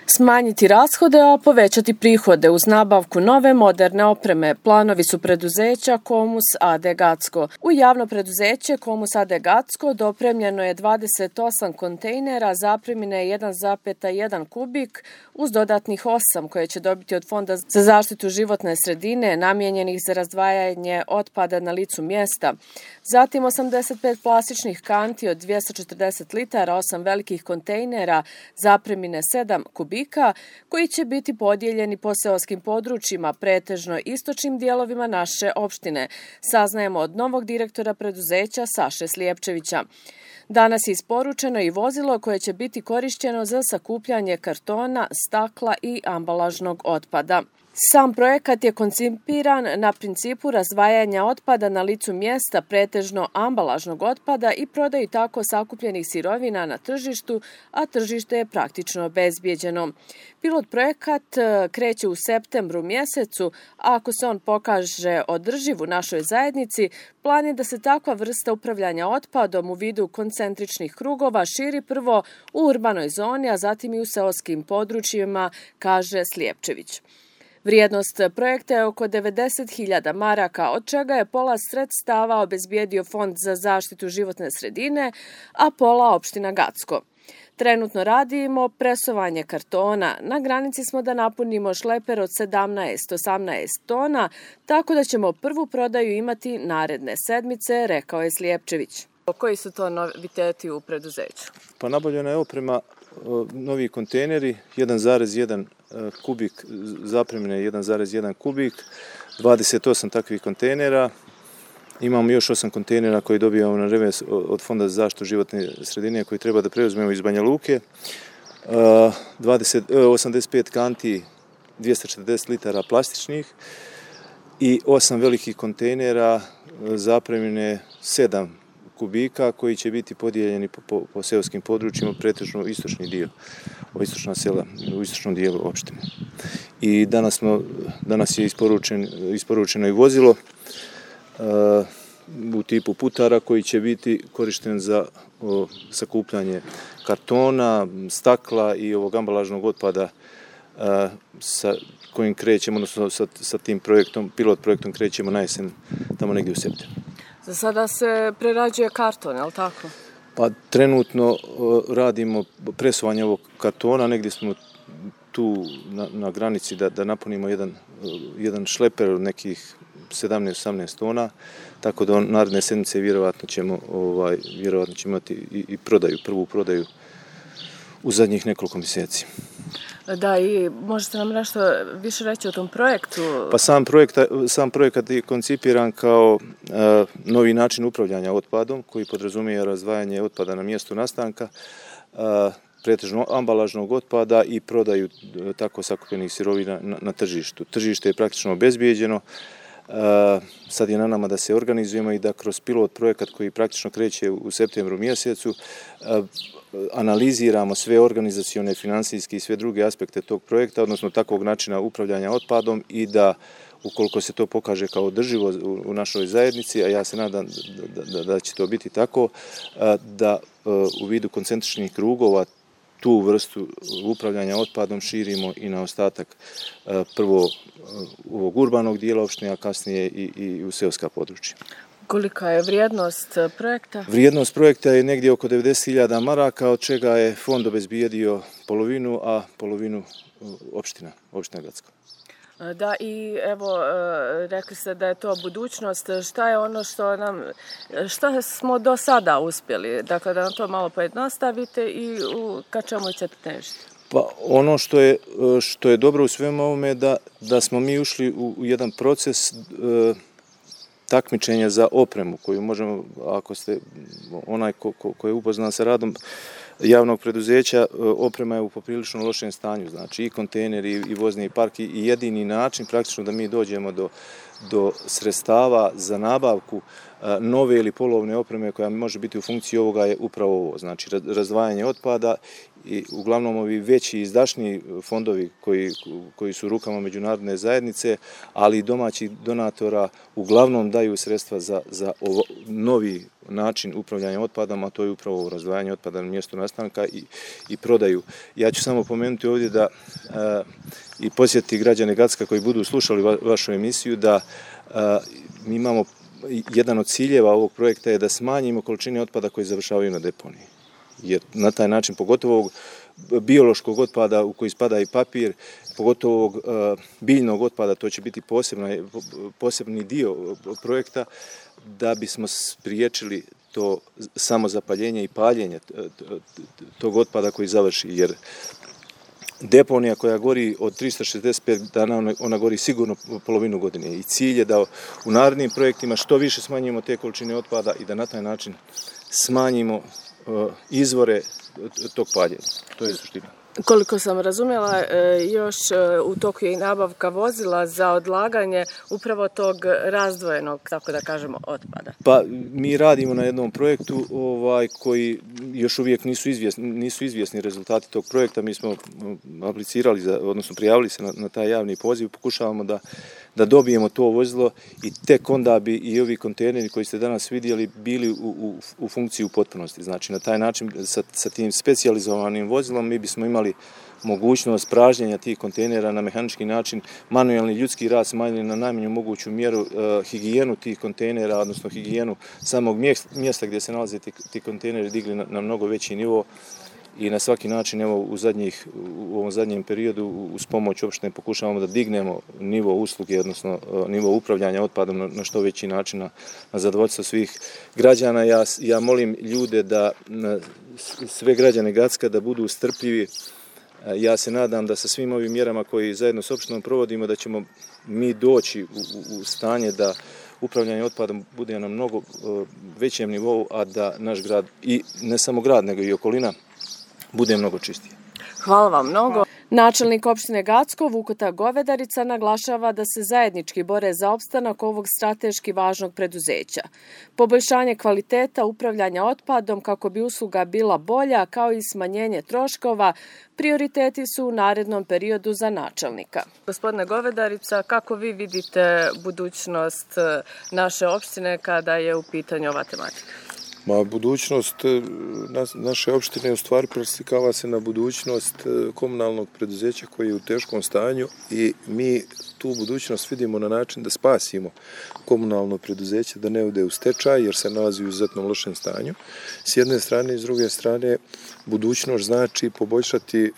Smanjiti rashode, a povećati prihode uz nabavku nove moderne opreme. Planovi su preduzeća Komus AD Gacko. U javno preduzeće Komus AD Gacko dopremljeno je 28 kontejnera zapremine 1,1 kubik uz dodatnih 8 koje će dobiti od Fonda za zaštitu životne sredine namijenjenih za razdvajanje otpada na licu mjesta. Zatim 85 plastičnih kanti od 240 litara, 8 velikih kontejnera zapremine 7 kubika koji će biti podijeljeni po seoskim područjima, pretežno istočnim dijelovima naše opštine, saznajemo od novog direktora preduzeća Saše Slijepčevića. Danas je isporučeno i vozilo koje će biti korišćeno za sakupljanje kartona, stakla i ambalažnog otpada. Sam projekat je koncipiran na principu razdvajanja otpada na licu mjesta, pretežno ambalažnog otpada i prodaju tako sakupljenih sirovina na tržištu, a tržište je praktično obezbijeđeno. Pilot projekat kreće u septembru mjesecu, a ako se on pokaže održiv u našoj zajednici, plan je da se takva vrsta upravljanja otpadom u vidu koncentričnih krugova širi prvo u urbanoj zoni, a zatim i u seoskim područjima, kaže Slijepčević. Vrijednost projekta je oko 90.000 maraka, od čega je pola sredstava obezbijedio Fond za zaštitu životne sredine, a pola opština Gacko. Trenutno radimo presovanje kartona. Na granici smo da napunimo šleper od 17-18 tona, tako da ćemo prvu prodaju imati naredne sedmice, rekao je Slijepčević. Koji su to noviteti u preduzeću? Pa nabavljena je oprema, novi kontejneri, 1,1 kubik, zapremine 1,1 kubik, 28 takvih kontejnera. Imamo još 8 kontejnera koji dobijamo na revers od Fonda za zaštitu životne sredine koji treba da preuzmemo iz Banja Luke. 85 kanti, 240 litara plastičnih i 8 velikih kontejnera zapremine 7 kubika koji će biti podijeljeni po seoskim područjima, pretežno istočni dio, istočna sela u istočnom dijelu opštine. I danas je isporučeno i vozilo u tipu putara koji će biti korišten za sakupljanje kartona, stakla i ovog ambalažnog otpada sa kojim krećemo, odnosno sa tim projektom, pilot projektom krećemo na jesen, tamo negdje u septembru. Za sada se prerađuje karton, je li tako? Pa trenutno radimo presovanje ovog kartona, negdje smo tu na granici da napunimo jedan šleper od nekih 17-18 tona, tako da naredne sedmice vjerovatno ćemo imati i prodaju, prvu prodaju u zadnjih nekoliko mjeseci. Da, i možete nam nešto više reći o tom projektu? Pa sam projekat je koncipiran kao novi način upravljanja otpadom koji podrazumije razdvajanje otpada na mjestu nastanka, pretežno ambalažnog otpada i prodaju tako sakupljenih sirovina na tržištu. Tržište je praktično obezbijeđeno. Sad je na nama da se organizujemo i da kroz pilot projekat koji praktično kreće u septembru mjesecu analiziramo sve organizacione, financijske i sve druge aspekte tog projekta, odnosno takvog načina upravljanja otpadom i da ukoliko se to pokaže kao održivo u našoj zajednici, a ja se nadam da će to biti tako, da u vidu koncentričnih krugova tu vrstu upravljanja otpadom širimo i na ostatak prvo ovog urbanog dijela opštine, a kasnije i u seoska područja. Kolika je vrijednost projekta? Vrijednost projekta je negdje oko 90.000 maraka, od čega je fond obezbijedio polovinu, a polovinu opština Gacko. Da, i evo, rekli ste da je to budućnost. Šta je ono što smo do sada uspjeli? Dakle, da nam to malo pojednostavite i ka čemu ćete težiti? Pa ono što je dobro u svemu ovome da smo mi ušli u jedan proces takmičenja za opremu koju možemo, ako ste onaj ko je upoznan sa radom javnog preduzeća, oprema je u poprilično lošem stanju, znači i kontejneri i vozni park i jedini način praktično da mi dođemo do sredstava za nabavku nove ili polovne opreme koja može biti u funkciji ovoga je upravo ovo, znači razdvajanje otpada i uglavnom ovi veći izdašniji fondovi koji su u rukama međunarodne zajednice, ali i domaćih donatora uglavnom daju sredstva za novi način upravljanja otpadom, a to je upravo razdvajanje otpada na mjestu nastanka i prodaju. Ja ću samo pomenuti ovdje da i posjetiti građane Gacka koji budu slušali vašu emisiju da mi imamo jedan od ciljeva ovog projekta je da smanjimo količine otpada koji završavaju na deponiji. Jer na taj način, pogotovo ovog biološkog otpada u koji spada i papir, pogotovo ovog biljnog otpada, to će biti posebni dio projekta, da bismo spriječili to samozapaljenje i paljenje tog otpada koji završi. Jer deponija koja gori od 365 dana, ona gori sigurno polovinu godine. I cilj je da u narednim projektima što više smanjimo te količine otpada i da na taj način smanjimo izvore tog paljenja. To je suština. Koliko sam razumjela, još u toku je i nabavka vozila za odlaganje upravo tog razdvojenog, tako da kažemo, otpada. Pa mi radimo na jednom projektu koji još uvijek nisu izvjesni rezultati tog projekta. Mi smo aplicirali, odnosno prijavili se na taj javni poziv, pokušavamo da dobijemo to vozilo i tek onda bi i ovi kontejneri koji ste danas vidjeli bili u funkciji u potpunosti. Znači na taj način sa tim specijalizovanim vozilom mi bismo imali mogućnost pražnjenja tih kontejnera na mehanički način, manualni ljudski rad smanjili na najmanju moguću mjeru, higijenu tih kontejnera, odnosno higijenu samog mjesta gdje se nalaze ti kontejneri digli na mnogo veći nivo i na svaki način evo u ovom zadnjem periodu uz pomoć opštine pokušavamo da dignemo nivo usluge, odnosno nivo upravljanja otpadom na što veći način na zadovoljstvo svih građana. Ja molim ljude da sve građane Gacka da budu strpljivi. Ja se nadam da sa svim ovim mjerama koji zajedno s opštinom provodimo da ćemo mi doći u stanje da upravljanje otpadom bude na mnogo većem nivou, a da naš grad, i ne samo grad, nego i okolina, bude mnogo čistije. Hvala vam mnogo. Načelnik opštine Gacko, Vukota Govedarica, naglašava da se zajednički bore za opstanak ovog strateški važnog preduzeća. Poboljšanje kvaliteta upravljanja otpadom kako bi usluga bila bolja, kao i smanjenje troškova, prioriteti su u narednom periodu za načelnika. Gospodine Govedarica, kako vi vidite budućnost naše opštine kada je u pitanju ova tematika? Budućnost naše opštine u stvari preslikava se na budućnost komunalnog preduzeća koji je u teškom stanju i mi tu budućnost vidimo na način da spasimo komunalno preduzeće da ne ode u stečaj jer se nalazi u izuzetno lošem stanju. S jedne strane i s druge strane budućnost znači poboljšati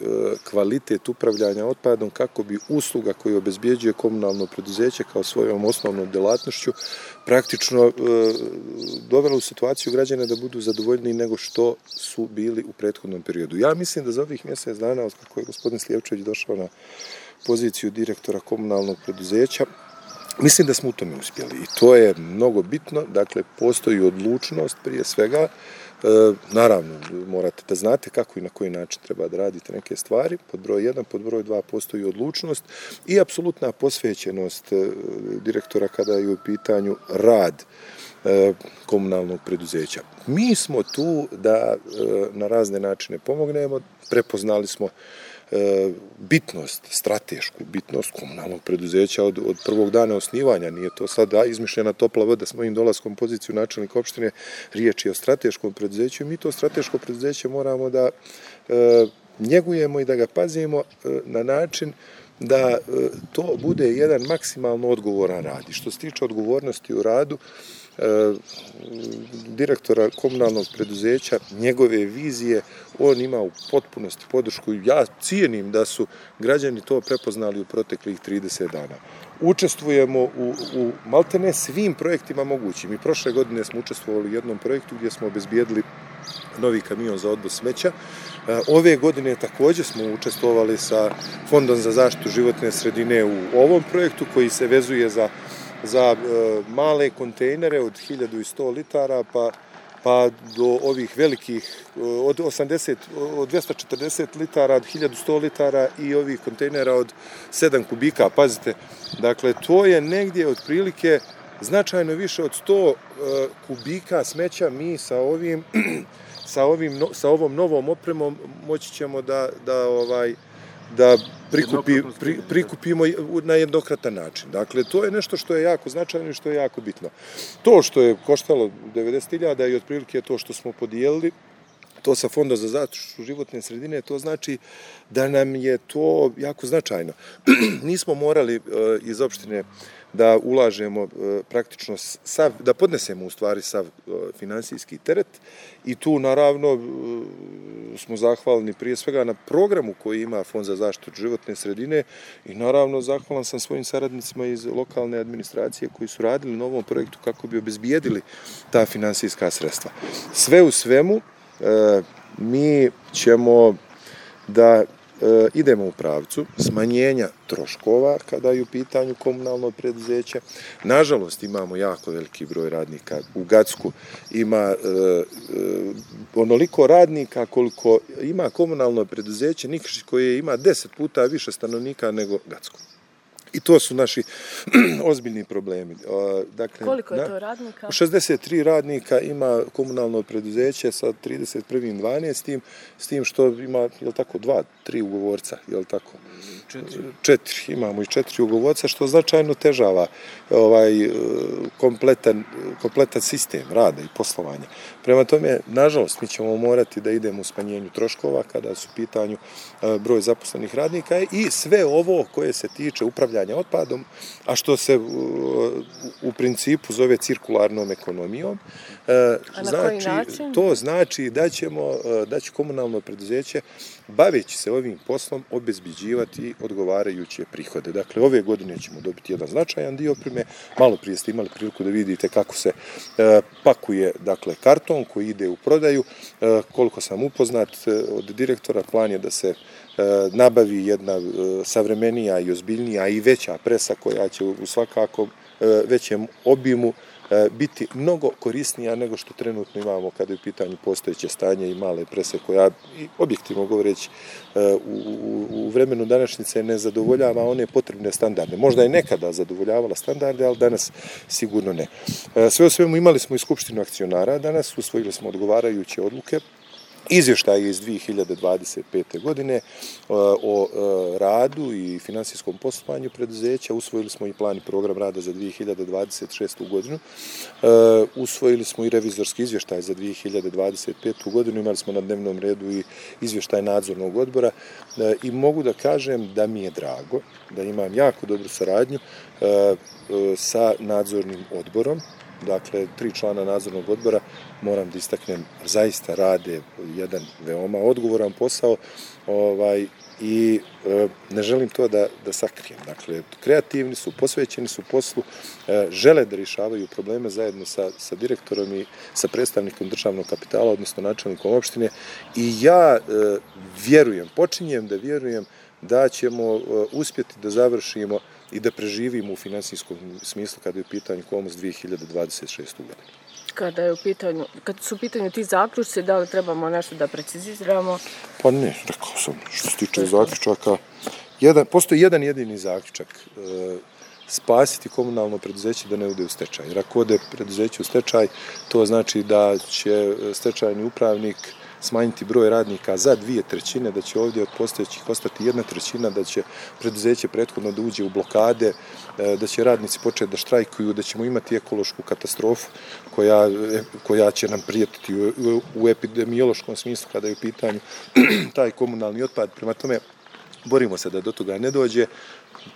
kvalitet upravljanja otpadom kako bi usluga koju obezbjeđuje komunalno preduzeće kao svojom osnovnom djelatnošću praktično dovela u situaciju građana da budu zadovoljniji nego što su bili u prethodnom periodu. Ja mislim da za ovih mjesec dana, od kako je gospodin Slijevčević došao na poziciju direktora komunalnog preduzeća, mislim da smo u tome uspjeli i to je mnogo bitno. Dakle, postoji odlučnost prije svega. Naravno, morate da znate kako i na koji način treba da radite neke stvari. Pod broj 1, pod broj 2 postoji odlučnost i apsolutna posvećenost direktora kada je u pitanju rad komunalnog preduzeća. Mi smo tu da na razne načine pomognemo, prepoznali smo bitnost, stratešku bitnost komunalnog preduzeća od prvog dana osnivanja. Nije to sad izmišljena topla voda s mojim dolaskom poziciju načelnika opštine, riječ je o strateškom preduzeću i mi to strateško preduzeće moramo da njegujemo i da ga pazimo na način da to bude jedan maksimalno odgovoran rad. I što se tiče odgovornosti u radu, direktora komunalnog preduzeća, njegove vizije, on ima u potpunosti podršku. Ja cijenim da su građani to prepoznali u proteklih 30 dana. Učestvujemo u maltene svim projektima mogućim. I prošle godine smo učestvovali u jednom projektu gdje smo obezbijedili novi kamion za odvoz smeća. Ove godine također smo učestvovali sa Fondom za zaštitu životne sredine u ovom projektu koji se vezuje za male kontejnere od 1100 litara pa do ovih velikih od 240 litara, od 1100 litara i ovih kontejnera od 7 kubika. Pazite, dakle, to je negdje otprilike značajno više od 100 kubika smeća mi sa ovim sa ovom novom opremom moći ćemo da prikupimo na jednokratan način. Dakle, to je nešto što je jako značajno i što je jako bitno. To što je koštalo 90.000 i otprilike to što smo podijelili, to sa Fonda za zaštitu životne sredine, to znači da nam je to jako značajno. Nismo morali iz opštine da ulažemo praktično da podnesemo u stvari sav finansijski teret i tu naravno smo zahvalni prije svega na programu koji ima Fond za zaštitu životne sredine i naravno zahvalan sam svojim saradnicima iz lokalne administracije koji su radili na ovom projektu kako bi obezbijedili ta finansijska sredstva. Sve u svemu mi ćemo da idemo u pravcu smanjenja troškova kada je u pitanju komunalno preduzeće. Nažalost, imamo jako veliki broj radnika. U Gacku ima onoliko radnika koliko ima komunalno preduzeće Nikšić koje ima 10 puta više stanovnika nego Gacko. I to su naši ozbiljni problemi. Dakle, koliko je to radnika? 63 radnika ima komunalno preduzeće sa 31.12. s tim što ima, je li tako, 2-3 ugovorca, je li tako? 4. Imamo i 4 ugovorca, što značajno težava kompletan sistem rada i poslovanja. Prema tome, nažalost, mi ćemo morati da idemo u smanjenju troškova kada su u pitanju broj zaposlenih radnika i sve ovo koje se tiče upravljanja otpadom, a što se u principu zove cirkularnom ekonomijom. To znači da će komunalno preduzeće, baveći se ovim poslom, obezbeđivati odgovarajuće prihode. Dakle, ove godine ćemo dobiti jedan značajan dio opreme. Malo prije ste imali priliku da vidite kako se pakuje, dakle, karton koji ide u prodaju. Koliko sam upoznat od direktora, plan je da se nabavi jedna savremenija i ozbiljnija i veća presa koja će u svakako većem obimu biti mnogo korisnija nego što trenutno imamo kada je u pitanju postojeće stanje i male prese koja, objektivno govoreći, u vremenu današnjice ne zadovoljava one potrebne standarde. Možda je nekada zadovoljavala standarde, ali danas sigurno ne. Sve u svemu imali smo i skupštinu akcionara danas, usvojili smo odgovarajuće odluke. Izvještaj iz 2025. godine o radu i finansijskom poslovanju preduzeća. Usvojili smo i plan i program rada za 2026. godinu. Usvojili smo i revizorski izvještaj za 2025. godinu. Imali smo na dnevnom redu i izvještaj nadzornog odbora i mogu da kažem da mi je drago da imam jako dobru saradnju sa nadzornim odborom. Dakle, 3 člana nadzornog odbora, moram da istaknem, zaista rade jedan veoma odgovoran posao i ne želim to da sakrijem. Dakle, kreativni su, posvećeni su poslu, žele da rješavaju probleme zajedno sa direktorom i sa predstavnikom državnog kapitala, odnosno načelnikom opštine i ja počinjem da vjerujem da ćemo uspjeti da završimo i da preživimo u finansijskom smislu kada je u pitanju Komus 2026. godinu. Kad su u pitanju ti zaključci, da li trebamo nešto da preciziramo? Pa ne, rekao sam, što se tiče zaključaka, postoji jedan jedini zaključak, spasiti komunalno preduzeće da ne ode u stečaj. Jer ako ode preduzeće u stečaj, to znači da će stečajni upravnik smanjiti broj radnika za 2/3, da će ovdje od postojećih ostati 1/3, da će preduzeće prethodno da uđe u blokade, da će radnici početi da štrajkuju, da ćemo imati ekološku katastrofu koja će nam prijetiti u epidemiološkom smislu kada je u pitanju taj komunalni otpad. Prema tome, borimo se da do toga ne dođe.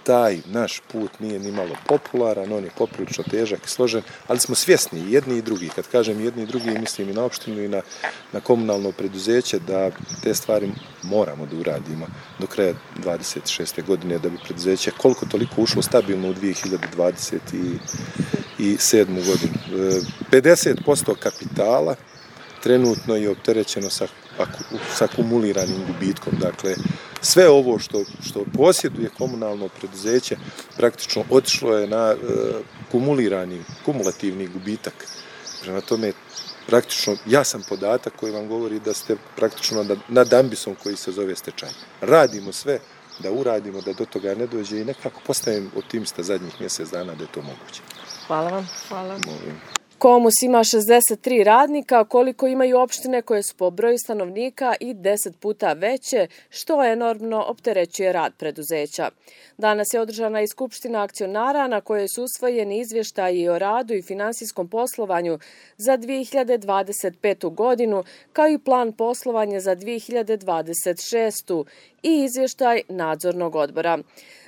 Taj naš put nije ni malo popularan, on je poprilično težak i složen, ali smo svjesni jedni i drugi. Kad kažem jedni i drugi, mislim i na opštinu i na komunalno preduzeće, da te stvari moramo da uradimo do kraja 26. godine, da bi preduzeće koliko toliko ušlo stabilno u 2027. godinu. 50% kapitala trenutno je opterećeno sa akumuliranim gubitkom. Dakle, sve ovo što posjeduje komunalno preduzeće praktično otišlo je na kumulativni gubitak. Prema tome, praktično jasan podatak koji vam govori da ste praktično nad ambisom koji se zove stečaj. Radimo sve da uradimo, da do toga ne dođe i nekako postajem optimista zadnjih mjesec dana da je to moguće. Hvala vam. Hvala. Molim. Komus ima 63 radnika, koliko imaju opštine koje su po broju stanovnika i 10 puta veće, što enormno opterećuje rad preduzeća. Danas je održana i skupština akcionara na kojoj su usvojeni izvještaji o radu i finansijskom poslovanju za 2025. godinu, kao i plan poslovanja za 2026. i izvještaj nadzornog odbora.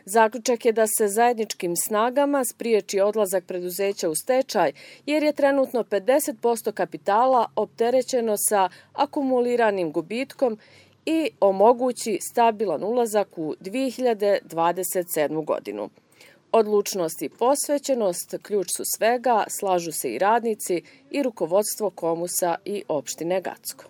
Zaključak je da se zajedničkim snagama spriječi odlazak preduzeća u stečaj, jer je trenutno 50% kapitala opterećeno sa akumuliranim gubitkom i omogući stabilan ulazak u 2027. godinu. Odlučnost i posvećenost ključ su svega, slažu se i radnici i rukovodstvo Komusa i opštine Gacko.